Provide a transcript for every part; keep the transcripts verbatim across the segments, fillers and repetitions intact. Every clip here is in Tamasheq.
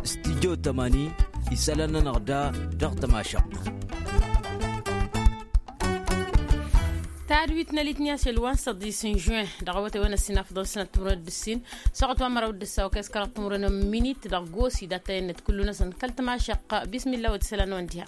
Stidyo tămani isălan-nănăɣ da dăɣ-tămašăɣt. Tadwit n-alitni ašăl wa n-săḍis n-žuin dăɣ-awătay wa n-ăssin afḍăn sănăt timǝrwen d-ǝssin, soɣăt wa n-măraw d-ǝssaw kăy-s kăraḍ timǝrwen n-minit dăɣ-gosi d-attăyăn-net kullu-năsăn kăl-tămašăɣt. Bismilla wăt isălan-năwăn diha.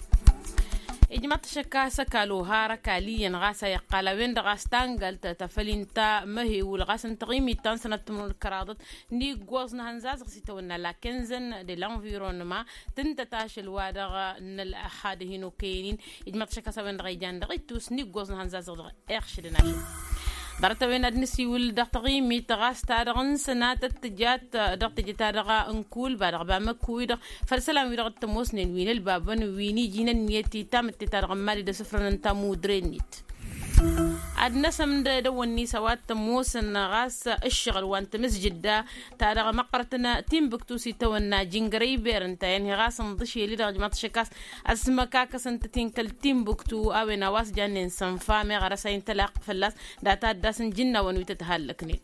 Ijmaḍ-t ašăk a-s ăkall ohar ăkall iyyăn ɣas a iqqal a-wen-dăɣ a-s tangalt ta făll-inta măhewǝl ɣas n-taɣimit ta n-sănăt timǝrwen d-kăraḍăt n-iggoẓ n-ehăn zazăɣ s-itawănna la quinzaine de l'environnement. Tǝntăt ašăl wa dăɣ-nălxad hin-okăyăn-in. Ijmaḍ-t ašăk a-s a-wen-dăɣ a ijan dăɣ-ittus n-iggoẓ n-ehăn zazăɣ dăɣ-iɣšǝdăn ašăl. Ḍarăt-a-wen ad-nǝsiwǝl dăɣ-taɣimit ɣas ta dăɣ-n sănatăt tǝjat dăɣ-teje ta dăɣ-bamăkku-wi-dăɣ făll-isălan-wi-dăɣ t-ămoosnen wi n-ălbabăn wi n-iji n-ǝnniyăt i-tamǝtte ta dăɣ-n mali d-asǝfrănăn tamudre-net. Ad-năsăm d-edăwănni s-a-wa t-ămoosăn ɣas ǝššăɣǝl wa n-tamǝzjǝdda ta dăɣ-măqqărătăn timbuktu s-itawănna jingărăy berăn ta i-ănhi ɣas ǝnḍǝšel-i-dăɣ ijmaḍ-t ašăk a-s ăsmăkakăsăn-tăt-in kăl-timbuktu a-wen a-wa s-jannen sănfa meɣ arăsa intălaq fălla-s data dd-asǝnjǝnnawăn wi tăt-hallăknen.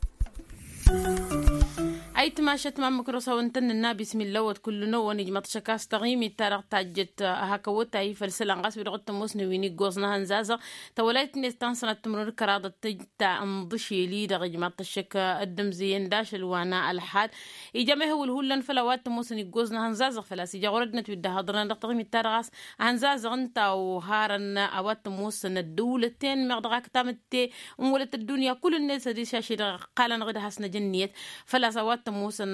Ayǝtmašăt ma n-măkrosawăn tăn-nǝnna bismilla wăt kullu-năwăn ijmaḍ-t ašăk a-s taɣimit ta dăɣ-tajjăt hak awătay făll-isălan ɣas wi dăɣ-t-ămoosnen wi n-iggoẓ n-ehăn zazăɣ. Tawălayt-net ta n-sănat timǝrwen d-kăraḍăt tǝj ta n-iḍǝšel-i-dăɣ ijmaḍ-t ašăk dd-ǝmzǝyăn d-ašăl wa n-ălxad. Ija mehewǝl hullan făll-a-wa t-ămoosăn iggoẓ n-ehăn zazăɣ făl-a-s ija ɣur-ăddinăt wi dd-ăhhăḍrănăn dăɣ-taɣimit-ta-dăɣ a-s ehăn zazăɣ ǝnta a oharăn a-wa t-ămoosăn ăddăwlăten meɣ dăɣ-ak tamǝtte n-wălăt ăddunya kull-net sădiš ašăl-i-dăɣ ăqqalăn-dăɣ d-ad-has-năj ǝnniyăt. Făl-a-s a-wa t-ămoosăn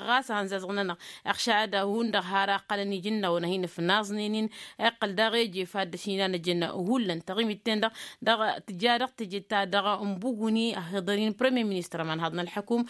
ɣas ehăn zazăɣ-nănăɣ iɣšad hundăɣ har ăqqalăn iji n-nawăn ad-hin-ǝfnaẓnen-in. Iqqăl daɣ eje fad d-ašinanăjăn hullan taɣimit-ten-dăɣ dăɣ-tǝja dăɣ-teje ta dăɣ-n buguni ăhiḍăr-in premier ministăr ămanhaḍ n-ălḥăkum.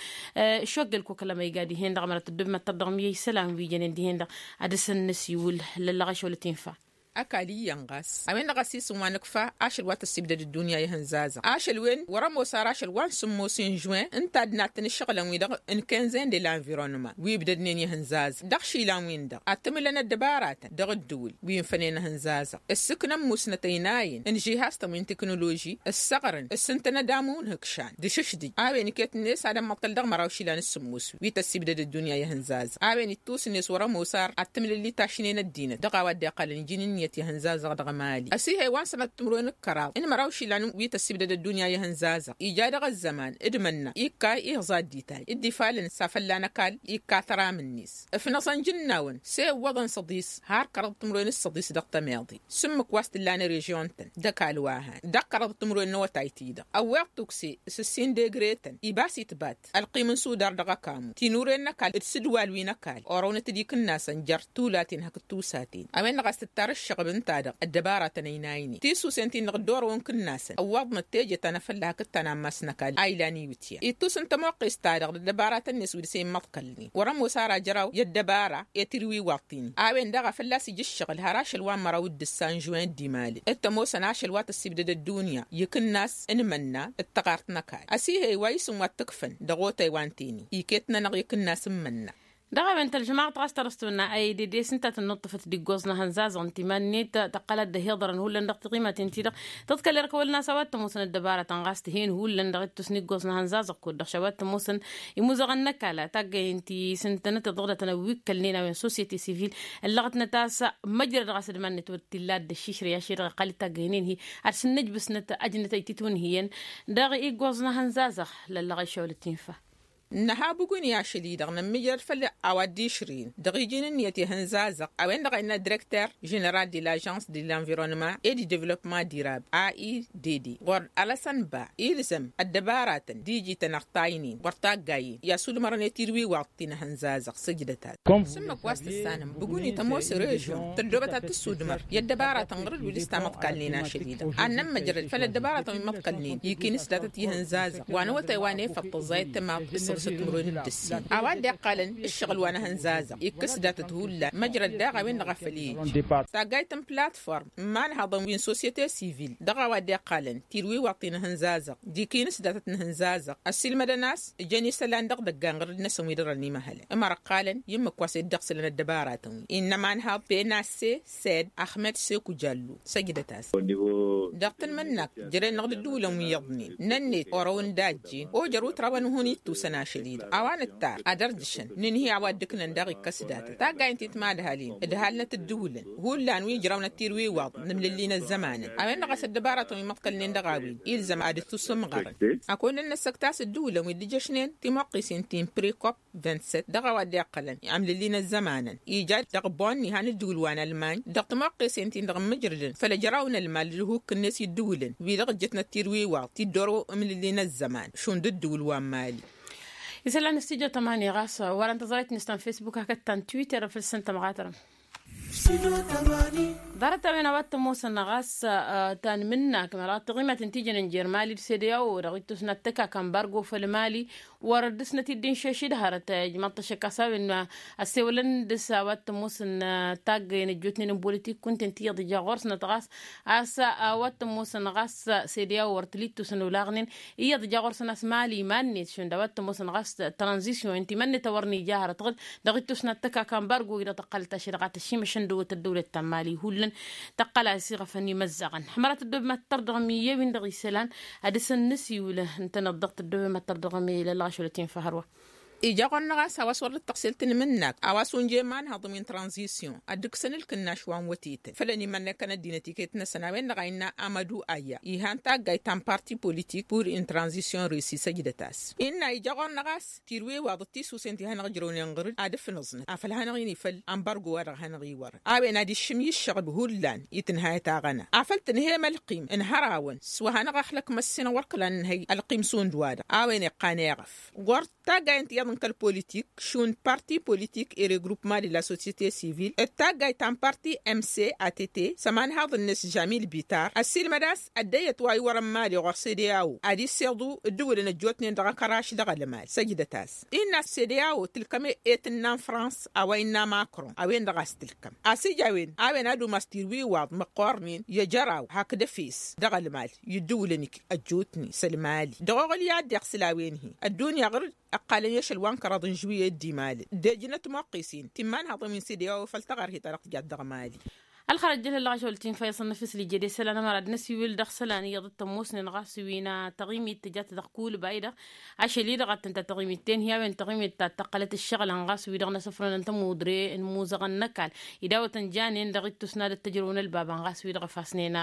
Šoggăl kokălăm a iga dihen-dăɣ mărăt ăddob măttăr dăɣ-miyăy isălan wi jănen dihen-dăɣ ad-dăr-săn năsiwǝl lăllăɣ ašăwăl tinfa. Ăkall iyyăn ɣas a-wen-dăɣ a-s isǝm wa nǝkfa ašăl wa tăssibdăd ăddunya i-ihănzazăɣ ašăl-wen wăr-ămoos ar ašăl wa n-sǝmmos n-žuwen ǝnta ad-nattăn ǝššăɣǝlăn-wi-dăɣ n-kenzen de l'environnement wi ǝbdădnen i-ihănzazăɣ dăɣ-išilan-win-dăɣ ad-tǝmǝlăn ăddăbaratăn dăɣ-ǝddǝwǝl wi n-fănen ihănzazăɣ ǝssǝknăn musnăt ăynayăn n-žihaz-tăn wi n-tiknoloži ǝssăɣrăn ǝssǝntăn ădamu n-ihǝkšan d-ašǝšdǝj a-wen iket-net ad-ămmăḍkăl dăɣ-măraw išilan s-sǝmmos wi tăssibdăd ăddunya i-ihănzazăɣ a-wen ittus-net wăr-ămoos ar ad-tǝmǝlǝlli tašnen ăddinăt dăɣ-a-wa dd-iqqălăn iji n-ǝnniyăt i-ihănzazăɣ dăɣ-mali ăsihăy wa n-sănăt timǝrwen d-kăraḍ n-măraw išilan wi tăssibdăd ăddunya i-ihănzazăɣ ija dăɣ-ăzzăman d-imănna ikka iɣẓa dd-ital dd-ifalăn s-afălla n-ăkall ikka tăram-net ǝfnăẓăn jǝnnawăn s-e ǝwwăḍăn săḍis har kăraḍ timǝrwen d-săḍis dăɣ-tămeḍe s-ǝmmǝk wa s-tǝlla n-režion-tăn d-ăkall wa han dăɣ-kăraḍ timǝrwen n-awătay-ti-dăɣ ăwweḍ tukse s-ǝssin degre-tăn ibas itbat ălqim n-sudar dăɣ-ăkamu tinuren n-ăkall d-sǝdwal wi n-ăkall orăwnăt d-ikǝnnasăn jer-tulaten hakd tusaten a-wen-dăɣ a-s tǝttar ǝššăɣb ǝnta-dăɣ ăddăbaratăn ăynaynen tisusen-tin-dăɣ dd-orăwăn kǝnnasăn ăwwaḍnăt teje ta n-afălla hakd ta n-ammas n-ăkall a ilan iwǝtyan ittus n-tămoqqes-ta-dăɣ d-ăddăbaratăn-net wi dăr-s e immăḍkălnen wăr-ămoos ar ajăraw i-ăddăbara i-tirwiwaḍ-t-in a-wen-dăɣ a fălla-s ija ǝššăɣǝl har ašăl wa n-măraw d-ǝssa n-žuwen d-imalăn t-ămoosăn ašăl wa tăssibdăd ăddunya ikǝnnas n-imănna d-taɣart n-ăkall ăsihăy wa isǝm wa t-ǝkfăn dăɣ-otay wa n-teni iket-nănăɣ ikǝnnas n-imănna. Dăɣ-a-wen tălžămaɣăt ɣas tărăstonna a ede des ǝnta tănnuṭṭăfăt d-iggoẓ n-ehăn zazăɣ n-timan-net tăqqăl ad-dd-ăhiḍărăn hullan dăɣ-tiɣimaten-ti-dăɣ tǝḍkăl erk wăl n-a-s a-wa t-ămoosăn ăddăbaratăn ɣas tǝhen hullan dăɣ-ittus n-iggoẓ n-ehăn zazăɣ kud-dăɣ š-a-wa t-ămoosăn imuzăɣăn n-ăkall taggăyen ti s-ǝntănăt iḍăɣ datăn a wi ǝkkălnen a-wen sosyete sivil ǝllăɣătnăt a-s măjrăd ɣas d-iman-net wăr t-illa dd-ăššišrăy ašăl-i-dăɣ iqqăl-dd taggăynen-hi ad-sǝnnǝjbǝsnăt ăjnăt a ititwǝnhǝyăn dăɣ-iggoẓ n-ehăn zazăɣ lăllăɣ išăwăl tinfa. Nǝha bǝguni ašăl-i-dăɣ nămmǝjrăd făll-a-wa dd-išrǝyăn dăɣ-iji n-ǝnniyăt i-ehăn zazăɣ a-wen-dăɣ a innă direkter ženeral de l'agence de l'environnement et du developpement durable a i d d ɣur-ălăsăn ba ilzăm ăddăbaratăn d-iji-tăn ărtaynen wăr taggayen i-asudmărăn i-tirwiwaḍ ti n-ehăn zazăɣ săjdăt-ad s-ǝmmǝk wa s-tǝssanăm bǝguni tămoos režion tăddoobăt ad-tǝssudmăr i-ăddăbaratăn ɣur-ǝlwǝl s-tamăḍkalnen ašăl-i-dăɣ ad-nămmăjrăd făll-ăddăbaratăn wi măḍkălnen ikinǝs datăt ihăn zazăɣ wa n-awătay wa n-efăḍ tăẓẓayăt timaḍ. Săt timǝrwen d-ǝssin a-wa dd-iqqalăn ǝššăɣǝl wa n-ehăn zazăɣ ikkăs datăt hullan măjrăd daɣ a-wen-dăɣ a făl-e-ija. Taggayt n-platform n-imanhaḍăn wi n-sosyete sivil dăɣ-a-wa dd-iqqalăn tirwiwaḍt ti n-ehăn zazăɣ d-ikinǝs datăt n-ehăn zazăɣ ăssiilmădăn a-s ǝjăn isălan dăɣ-idăgga n-iɣrǝd-năsăn wi dăr-ănimăhălăn. Ămăra ǝqqalăn i-ǝmmǝk wa s-dd-iɣsǝlăn ăddăbaratăn-wi innă imanhaḍ penasse sed ahmed seku jallu săjdăt-as. Dăɣ-tanmǝnnak jere-năɣ d-ǝddǝwǝlăn wi iyyăḍnen nănnet orăwăn d-ajjen ojăr utraw ănhun ittusăn ašăl-i-dăɣ a-wa nǝttar ad-ărdǝšăn nǝnhǝy a-wa dd-ǝknăn daɣ ikkăs datăt taggayen ti t-madhalin ǝdhalnăt ǝddǝwǝlăn hullan wi ǝjrawnăt tirwiwaḍ n-amlǝlli n-ăzzămanăn a-wen-dăɣ a-s ăddăbaratăn wi măḍkălnen dăɣ-a-wen ilzăm ad-dd-tusǝmɣărăn. Ăkund ănnăssăkt a-s ǝddǝwǝlăn wi dd-ǝjjăšnen timăqqisen ti n-prikop vingt-sept dăɣ-a-wa dd-iqqălăn amlǝlli n-ăzzămanăn ija dăɣ-bonni han ǝddǝwǝl wa n-ălmany dăɣ-timăqqesen-tin-dăɣ ǝmmǝjrǝdăn făll-ăjrawăn ălmal d-ǝhukk-net i-ǝddǝwǝlăn wi-dăɣ ǝjjătnăt tirwiwaḍ ti dd-oro amlǝlli n-ăzzăman šund ǝddǝwǝl wa n-mali. Isălan s-tijo tămani ɣas wărăn tăẓrayt-net ta n-fesbuk hakd ta n-twitter făll-săn tămɣatărăm. Ḍarăt-a-wen a-wa t-ămoosăn ɣas ta n-imǝnnak măra taɣimat n-tijăn n-jer-mali d-sede a-wo dăɣ-ittus n-ad-tăkak ambargo făll-mali wăr dd-ǝsnăt-dd inšeš-dd hărăt ijmaḍ-t ăššăk a-s a-wen ăssewălăn dăɣ-s a-wa t-ămoosăn taggăyăn ăjjootnen n-politik kunta ǝnta iyyăḍ ija ɣur-snăt ɣas a-s a-wa t-ămoosăn ɣas sede a-wo wăr t-li-tusăn olaɣnen iyyăḍ ija ɣur-săn a-s mali iman-net šund a-wa t-ămoosăn ɣas tranzisyon ǝnta iman-net a wăr n-ija hărăt ɣǝd dăɣ-ittus n-ad-tăkak ambargo-i-dăɣ tăqqălăt ašăl dăɣ-a tăšimăšăn dăɣ-wăt ăddăwlăt ta n-mali hullan tăqqăl-as iɣăfăn imăzzaɣăn. Hămărat ăddoob mad-tărdăɣăm iyyăwin dăɣ-isălan ad-dăr-săn nǝsiwǝl ǝntăneḍ dăɣ-tăddoob mad-tărdăɣăm i-lălɣašăl ătinfăhărwa. Ija ɣur-năɣ a-s a-wa s-wăr dd-tăɣsel tanmǝnnak a-wa s-unje imanhăḍ wi n-tranzisyon ad-dd-ǝksăn ǝlkǝnnaš wa n-wătetăn făll-ănimănnăkăn ăddinăt iket-năsăn a-wen-dăɣ a innă amădu aya ihan taggayt ta n-parti politik pur in-tranzisyon resi săjdăt-as innă ija ɣur-năɣ a-s tirwiwaḍăt tisusen ti hanăɣ-ǝjrăwnen ɣǝr-dd ad-ǝfnăẓnăt afăl hanăɣ-inifăl ambargo wa dăɣ-hanăɣ-iwărăn a-wen ad-iššǝm i-ǝššăɣb hullan i-tǝnhayăt aɣăna afăl tǝnhăyăm ălqim ǝnhărawăn s-wa hanăɣ-axlăk măssinăɣ wăr kăla nǝnhăy ălqim šund-wa-dăɣ a-wen iqqan eɣăf ɣur-taggayăn tiyyăḍ n-kăl-politik šund parti politik i-regrupma de la sosyete sivil d-taggayt ta n-parti mcat s-ămanhaḍ-net žamil bitar ăssiilmăd a-s ăddăyyăt wa iwărăn mali ɣur-sede a-wo ad-isseḍu ǝddǝwǝlăn ăjjootnen dăɣ-akăraš dăɣ-ălmal săjdăt-as innă sede a-wo tǝlkăm e-tǝnna n-frans a-wa innă makron a-wen-dăɣ a-s tǝlkăm a-s ija a-wen a-wen ad-umas tirwiwaḍ măqqoornen i-ăjăraw hakd efes dăɣ-ălmal i-ǝddǝwǝlăn-ik ăjjootnen s-ălmali dăɣ-oɣǝl i-ad-dd-iɣsǝl a-wen-hi ăddunya ɣǝr-dd ǝqqalăn i-ašăl wa n-kăraḍ n-žuwǝyăt d-imali d-ejnăt muqqis-in ti n-imanhaḍăn wi n-sede a-wa făll-taɣărhet ta dăɣ-tijat dăɣ-mali. Ălxărăt jălălăɣ ašăl tinfa iyyăḍ săn năfis lijede isălan ămăra d-năsiwǝl dăɣ-isălan iyyăḍ t-ămoosnen ɣas wi n-taɣimit tǝjat dăɣ-kulba-i-dăɣ ašăl-i-dăɣ a t-tǝnta taɣimit tenhǝy a-wen taɣimit ta t-ăqqălăt ǝššăɣǝlăn ɣas wi-dăɣ n-asǝfrănăn tămudre n-imuzăɣăn n-ăkall. Ida-wăt ǝnjanen dăɣ-ittus n-ad-ăttăjrăwăn ălbabăn ɣas wi-dăɣ ăfasnen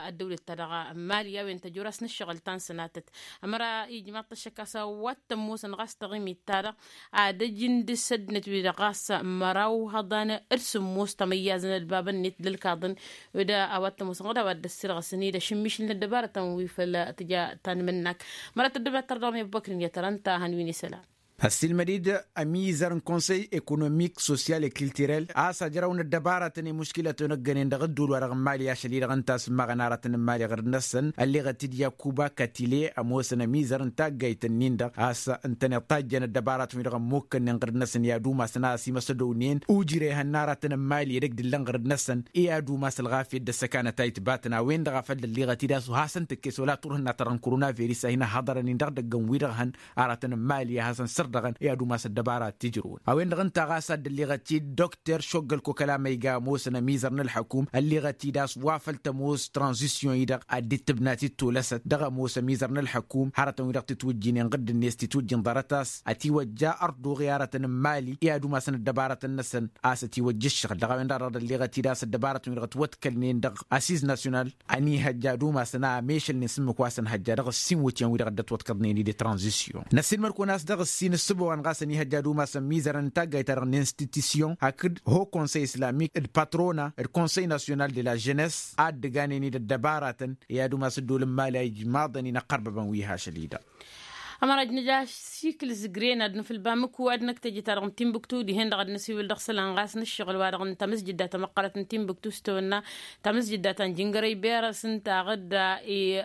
ăddăwlăt-ta dăɣ-mali a-wen tăjor-asăn ǝššăɣǝl ta n-sănatăt. Ămăra ijmaḍ-t ăššăk a-s a-wa t-ămoosăn ɣas taɣimit-ta-dăɣ ad-ăj n-dăr-s ăddinăt wi-dăɣ ɣas măraw hăḍan d-sǝmmos tamăyyazăn ălbabăn-net d-ălkaḍăn. Wădda a-wa t-ămoosăn ɣǝd a-wa dd-ăssirɣăsăn-dd ašǝmmišǝl n-ăddăbarătăn wi făll-tǝja tanmǝnnak. Măra tăddăbnat tărdăɣ mi-ăbbăkrin i-ad-tărăn ta hăn-win isălan. Ăssiilmăd-dd ămizăr n-konsăy ekonomik sosyal e-kiltirel a-s ajrăw n-ăddăbarătăn i-muškilătăn ăggănen dăɣ-ădduul-wa-dăɣ n-mali ašăl-i-dăɣ ǝnta a-s ǝmmaɣăn aratăn n-mali ɣǝrǝd-năsăn ălleɣăt-dd yakuba katile ămoosăn ămizăr n-taggayt-nin-dăɣ a-s ǝntăneḍ tajjăn ăddăbarătăn-wi-dăɣ ămmukkănnen ɣǝrǝd-năsăn i-ad-umasăn a-s imăsădăwnen ujre ihănna aratăn n-mali edăgg d-illăn ɣǝrǝd-năsăn i-ad-umas ălɣafyăt d-ăssăkanăt a itbatăn a-wen-dăɣ a făl dd-ălleɣăt-dd a-s wa hasăn-tǝkkes wăla turhǝnna ta dăɣ-n koronavirus a hin-ăhhăḍărăn-in dăɣ-idăgg n-wi-dăɣ hăn aratăn n-mali a hasăn-sărdăɣăn i-ad-umas ăddăbara tijrǝwăn a-wen-dăɣ ǝnta ɣas a dd-ălleɣăt-dd dr šoggăl kokalama iga ămoosăn ămizăr n-ălḥăkum ălleɣăt-dd a-s wa făl tămoos tranzisyon-i-dăɣ ad-dd-tǝbnat d-tolăsăt dăɣ-ămoos ămizăr n-ălḥăkum hărătăn-wi-dăɣ titwǝjjinen ɣǝdd-net titwǝjjin ḍarăt a-s ătiwăjja ărduɣ i-aratăn n-mali i-ad-umasăn ăddăbarătăn-năsăn a-s ătiwăjja ǝššăɣǝl dăɣ-a-wen-dăɣ a dăɣ-dd-ălleɣăt-dd a-s ăddăbarătăn-wi-dăɣ ătwăḍkălnen dăɣ-asiz nasyonal ănihăjja ad-umasăn a ămešălnen s-ǝmmǝk wa s-ănhăjja dăɣ-ǝssin iwǝtyan-wi-dăɣ dd-ătwăḍkăḍnen-dd i-tranzisyon. Năssiilmăd-kăwăn a-s dăɣ-ǝssin ǝssǝbăwăn ɣas ănihăjja ad-umasăn mizărăn n-taggayt-ta-dăɣ n-institusyon hakd ho konsăy islamik d-patrona d-konsăy nasyonal de la ženess a dd-ǝganen-dd ăddăbaratăn i-ad-umas ăddol n-mali a ijmaḍăn-in ăqqărbăbăn wi hašăl-i-dăɣ. Ămăra ăjnăj ašikǝl zǝgren ad-nǝfǝl bamǝku ad-năkk teje-ta-dăɣ n-timbuktu dihen-dăɣ ad-năsiwǝl dăɣ-isălan ɣas nǝššăɣǝl-wa-dăɣ n-tamǝzjǝdda tamăqqărăt n-timbuktu s-tawănna tamǝzjǝdda ta n-jingărăy berăs ǝnta aɣǝdda.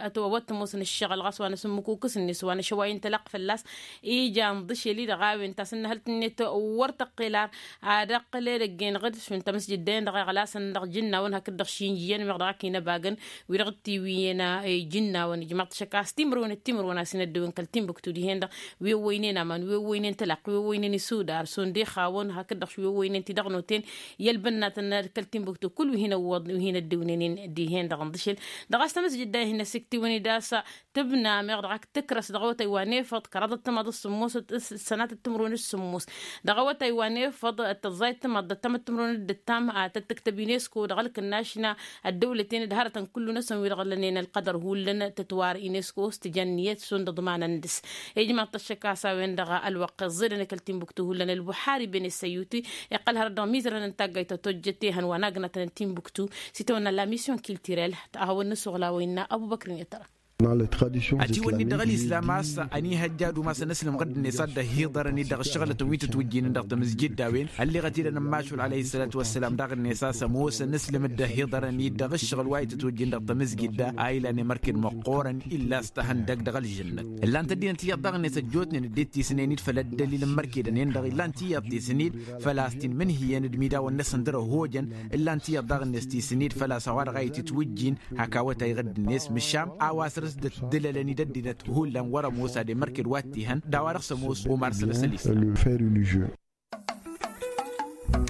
Ătwăwăt tămoosăn ǝššăɣǝl ɣas wa n-asǝmmǝkukǝs-net wa n-ašăway n-tălaqq fălla-s ija ǝnḍǝšel-i-dăɣ a-wen tasǝnnăhălt-net wăr tăqqel ar ad-ăqqǝl edăgg-en ɣǝd šund tamǝzjǝdda-en-dăɣ iɣlasăn dăɣ-ijǝnnawăn hakd-dăɣ šinjǝyăn meɣ dăɣ-ak inăbagăn wi-dăɣ t-iwǝyyen. Ijǝnnawăn ijmaḍ-t ašăk a-s timǝrwen d-timǝrwen a-s inăddǝwǝn kăl-timbuktu dihen-dăɣ wi ăwwăynen aman wi ăwwăynen tălaqq wi ăwwăynen isudar šund ixawăn hakd-dăɣ wi ăwwăynen tidăɣnoten i-ălbănnatăn kăl-timbuktu kull wi hin-ăwwăḍ wi hin-ăddǝwǝnenen dihen-dăɣ ǝnḍǝšel. Dăɣ-a-s tamǝzjǝdda-i hin-ăsiktiwăn-dd a-s tǝbna meɣ dăɣ-ak tǝkrăs dăɣ-awătay wa n-efăḍ kăraḍăt timaḍ s-sǝmmos s-sănatăt timǝrwen s-sǝmmos dăɣ-awătay wa n-efăḍ tăẓẓayăt timaḍ d-ăttamăt timǝrwen d-ăttam. Tăt-tǝktăb unesco dăɣ-ălkǝnnaš n-ăddăwlăten d-hărătăn kullu-năsăn wi-dăɣ lănen ălqădăr hullan tătwar unesco s-tijănniyăt šund ǝḍmanăn dăr-s. Ijmaḍ-t ăššăk a-s a-wen-dăɣ ălwăqq iẓẓedăn i-kăl-timbuktu hullan ălbuḥari bene săyyuti iqqăl hărăt dăɣ-mizărăn n-taggayt ta tojjăt ehăn wa n-agnatăn n-timbuktu s-itawănna la mission culturel. Ahăwăn n-asuɣla wa innă ăbubăkr n-ităra. Ătiwănni dăɣ-ălislam a-s ănihăjja ad-umasăn ǝslǝm ɣǝdd-net ad-dd-ăhiḍărăn-dd dăɣ-ǝššăɣlătăn wi tǝtwǝjjinen dăɣ-tamǝzjidda-wen ălleɣăt-dd ănămmašul alăyhi s-sălatu wa s-sălam daɣ-net a-s ămoosăn ǝslǝm dd-ăhiḍărăn-dd dăɣ-ǝššăɣǝl wa itǝtwǝjjin dăɣ-tamǝzjidda a ilan i-mărked măqqoorăn illa a-s tăhăndăg dăɣ-ălžănnăt. Ǝllan-t ăddinăt iyyăḍ daɣ-net ăjjootnen ăddinăt tisǝnen-dd făll-ăddălil n-mărkedăn-en-dăɣ ǝllan-t iyyăḍ tisǝn-dd făl-a-s t-inmǝnhǝyăn d-imidawen-năsăn dăr-ăhojăn. Ǝllan-t iyyăḍ daɣ-net tisǝn-dd făl-a-s a-wa-dăɣ a itǝtwǝjjin hak awătay ɣǝdd-net măšan a-wa săr-s dd-ăddǝlălăn-dd ăddinăt hullan wăr-ămoos ad-emărked wa t-ihăn d-a-wa dăɣ-s ămoos umar sănăsăn isălan.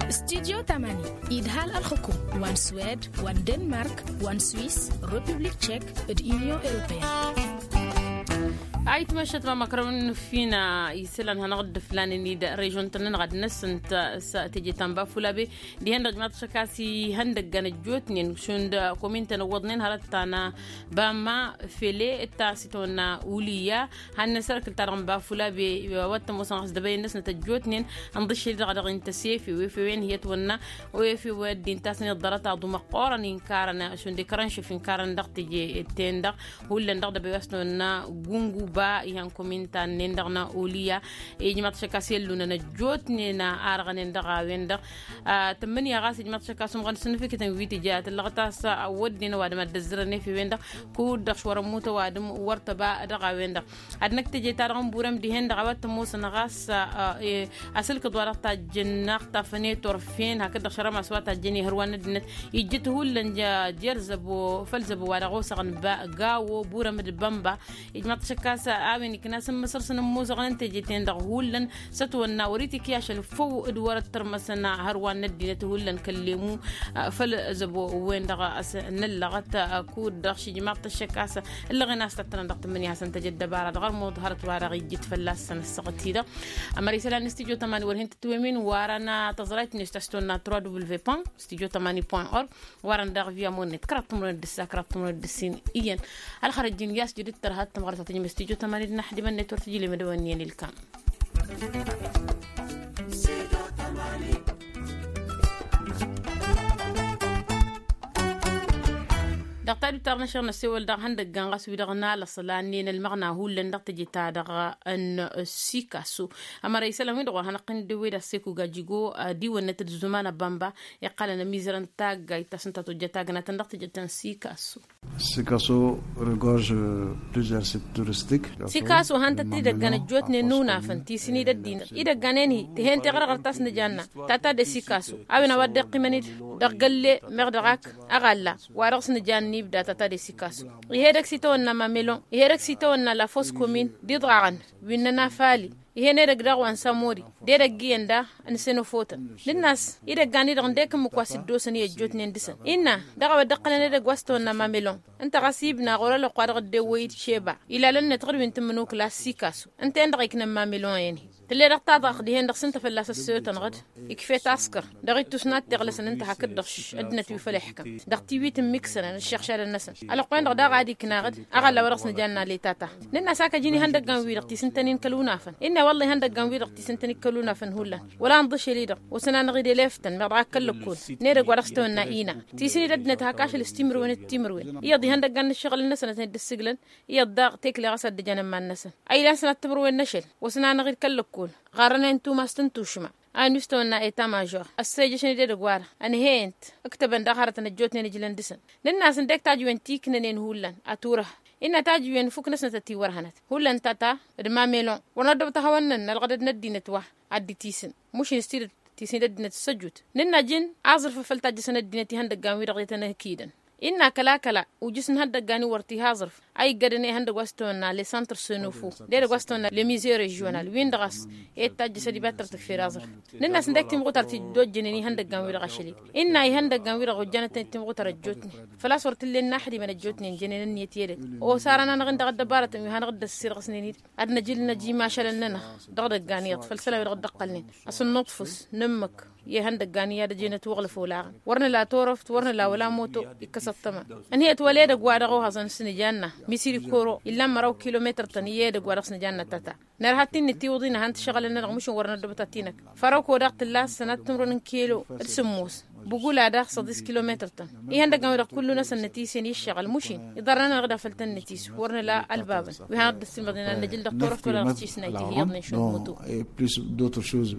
Studyo tamani idhal ălxukum wa n-swed wa n-denmark wa n-swiss, republik tchek d-union europeen. Ayǝtmăššăt mamăkrăwăn n-ǝffina isălan hanăɣ-dd-ǝflanen-dd režon-tăn-nănăɣ ad-năsǝnt s-teje ta n-bafulabe dihen-dăɣ ijmaḍ-t ašăk a-s ihăndăggan ăjjootnen šund komin-tăn ǝwwăḍnen hărăt ta n-bamma fele d-ta s-itawănna uliya. Hannăn s-erkǝl-ta-dăɣ n-bafulabe wa t-ămoosăn ɣas dăbăyăn-năsnăt ăjjootnen ǝnḍǝššel-i-dăɣ dăɣ-intăsefe wefewen hi-ătwănna. Wefewe ăddin tasăn iḍḍărăt aḍu măqqoorăn inkarăn šund ikrănšǝf inkarăn dăɣ-teje-ten-dăɣ hullan dăɣ-dăbăy wa s-tăwănna gunguba ihăn komin-ta-nen-dăɣ n-uliya. Ijmaḍ-t ašăk a-s i-ăllunăn ăjjootnen arɣănen dăɣ-a-wen-dăɣ tǝmmǝnǝya ɣas ijmaḍ-t ašăk a-s umɣăn s-ǝnnǝfǝkǝtăn wi tǝja tǝllăɣăt a-s wădden ăwadǝm ad-dd-ăzzărăn efewen-dăɣ kud-dăɣ š-wăr-ămmut ăwadǝm wăr tăba dăɣ-a-wen-dăɣ. Ad-năkk teje-ta-dăɣ n-burăm dihen-dăɣ a-wa t-ămoosăn ɣas asǝlkǝḍ-wa-dăɣ tajjǝnnaɣ tafăne turfen hakd-dăɣ šărămas wa tajjăn ihăr wa n-ăddinăt ijjǝt hullan jer-zăbo făll-zăbo wa dăɣ-osăɣăn gawo burăm d-bănba. Ijmaḍ-t ašăk a-s a-wen ikna s-ǝmmǝsăr s-inǝmmuzăɣăn n-teje-ten-dăɣ hullan s-ătwănna wăr-itikǝy ašăl făw d-wăr-ăttărmăsăn hărwan n-ăddinăt hullan kăllemu. Făll-zăbo-wen-dăɣ s-năllăɣăt kud-dăɣ šijmaḍ-t ašăk a-s ǝllăɣen a-s tăttănăn dăɣ-tǝmmǝnǝya hasăn-tăjăt dăbara dăɣ-ărmuḍ hărăt-wa-dăɣ ijjǝt fălla-săn ăssaɣăt-i-dăɣ. Ămăra isălan n-studyo tămani wăr hin-tǝtwămin warăn tăẓrayt-net ta s-tonna trois w point studyo tămani point org. Warăn daɣ via măwănnet kăraḍ timǝrwen d-ǝssa kăraḍ timǝrwen d-ǝssin iyyăn. Ălxărăj-in i-a-s judǝt tărha d-tămɣărt ta tǝjmăd studyo tămani d-inăxdimăn-net wăr tǝjǝl i-imǝdawăn iyyăn ilkam. Dăɣ-tadut ta dăɣ-năšăɣ năsewăl dăɣ-ihăndăggan ɣas wi-dăɣ n-alăṣla n-en ălmăɣna hullan dăɣ-teje-ta-dăɣ n-sikasu. Ămăra isălan-win-dăɣ wăr hanăɣ-tăn-dd-ewwed ăssekuga jigo ad-iwănnăt d-zuman ăbănba iqqălăn ămizărăn taggayt ta s-ǝnta tojjăt agnatăn dăɣ-teje ta n-sikasu. Sikaso regorge plusieurs sites touristiques. Sikaso hantăt idăggan ăjjootnen n-unafăn ti s-inidăddinăt idăggan-en-hi tǝhen teɣărɣărt ta s-nǝjanna tata de sikaso a-wen a-wa dd-iqqimăn-dd dăɣ-gălle meɣ dăɣ-ak aɣalla wa dăɣ-s nǝjanna ibda tata de sikaso. Ih'-edăgg s-itawănna mamelon ih'-edăgg s-itawănna la fos komin d-iḍɣaɣăn wi n-nănafali. Ih'-en edăgg daɣ wa n-samori d-edăgg iyyăn da n-senofotăn. Nǝnn'-as idăggan-i-dăɣ ǝndek ǝmmǝk wa s-dd-osăn i-ăjjootnen dăɣ-săn innă dăɣ-a-wa dd-ǝqqǝlăn edăgg wa s-tawănna mamelon. Ǝnta ɣas ibna ɣur-ălwăqq wa dăɣ-dd-ewwăy-dd šeba ilalăn-net ɣǝd wi n-tǝmmǝnukǝla s-sikasu. Ǝnta-en-dăɣ iknăn mamelon-en-hi tǝll'-e-dăɣ taḍaɣt dihen-dăɣ s-ǝnta fălla-s ăssăyotăn ɣǝd. Ikf'-e taskăr dăɣ-ittus n-ad-t-iɣlăsăn ǝnta hakd-dăɣ ăddinăt wi făll-iḥkăm dăɣ-tiwit n-imiksănăn d-iššăɣšadăn-năsăn. Ălwăqq-en-dăɣ daɣ ad-ikna ɣǝd aɣălla wa dăɣ-s nǝjanna letata. Nǝnn'-as ak ăjǝn ihăndăggan-wi-dăɣ ti s-ǝntănen kăl-unafăn innă. Wălla ihăndăggan-wi-dăɣ tisǝntăn ikkăl unafăn hullan wăla ănḍăšel-i-dăɣ. Wăsăn-anăɣ-dd eleftăn meɣ dăɣ-akkăl lăkkol. N-edăgg wa dăɣ-s tawănna ina tisǝn-i d-ăddinăt hak ašăl s-timǝrwen d-timǝrwen iyyăḍ ihăndăggan n-ǝššăɣǝl-năsăn ad-tăn-dd-ǝssǝglăn. Iyyăḍ daɣ tekle ɣas ad-dd-ǝjăn ămman-năsăn a ilan sănat timǝrwen n-ašăl. Wăsăn-anăɣ-dd kăl-lăkkol ɣarrăn-en tumas tǝntušma. A inǝstăwănna eta mažor ăssejăšăn i-dd edăgg-wa-dăɣ ănhăyăn-t. Ǝktăbăn daɣ hărătăn ăjjootnen ǝjlăn dăɣ-săn. Nǝnn'-asăn dek tajǝwen ti ǝknănen hullan. Aturăh innă tajǝwen fuk-năsnăt ătiwărhănăt hullan tata d-mamilon. Wăr năddăbăt ahăwăn-nănn ălɣădăd n-ăddinăt wa ad-dd-tisǝn. Mušin s-tidǝt tisǝn d-ăddinăt s-ăjut. Nǝnn'-ajǝn aẓrǝf a făl tajjăsăn ăddinăt ihăndăggan-wi-dăɣ i-tăn-ăkidăn. Innă kăla-kăla ujǝs n-ihăndăggan-in wăr t-iha aẓrǝf a iggădăn i-ihăndăgg wa s-tăwănna le santr sănofu d-edăgg wa s-tăwănna le mize režional-win-dăɣ a-s i-tajjăs ad-iba tăr-tǝkfer aẓrǝf. Nǝnn'-asǝn dek timɣutar ti dd-ojjănen ihăndăggan-wi-dăɣ ašăl-i. Innă ihăndăggan-wi-dăɣ ojjanăt-tăn d-timɣutar ăjjootnen făl-a-s wăr t-illa innă aḥdimen ăjjootnen jănen ǝnniyăt i-edăgg. Osar-anăɣ-dăɣ dd-ăddăbarătăn wi hanăɣ-dd-ăssirɣǝsnen-dd ad-năj ǝlnăj imašalăn-nănăɣ dăɣ-idăggan iyyăḍ făll-isălan-wi-dăɣ dd-ăqqălnen. Asǝnnǝḍfǝs n-ǝmmǝk i-ihăndăggan i-ad-ăjăynăt uɣlǝf olaɣăn wăr nǝla torăft wăr nǝla wăla moto. Ikkăs ăṭṭăma ǝnhăyăt wăla edăgg-wa-dăɣ ohăẓăn s-nǝjanna misiri koro illan măraw kilometăr-tăn i-edăgg-wa-dăɣ s-nǝjanna tata. Nărha t-innă tiwǝḍin ad-han-t-ǝššăɣǝlăn-nănăɣ mušǝn wăr năddăbăt ad-t-inăk. Fărăko daɣ tǝlla sănat timǝrwen n-kilo d-sǝmmos. Bugula daɣ săḍis kilometăr-tăn. Ihăndăggan-wi-dăɣ kullu-năsăn nătisen i-ǝššăɣǝl mušin iḍarrăn-anăɣ-dd afăl tăn-nătis wăr nǝla ălbabăn wi hanăɣ-dd-ăssilmăḍnen ad-năj ǝldăɣ turăft wăla dăɣ-s tisnayt ihiyyăḍnen šund mutu. Plus d'autres choses.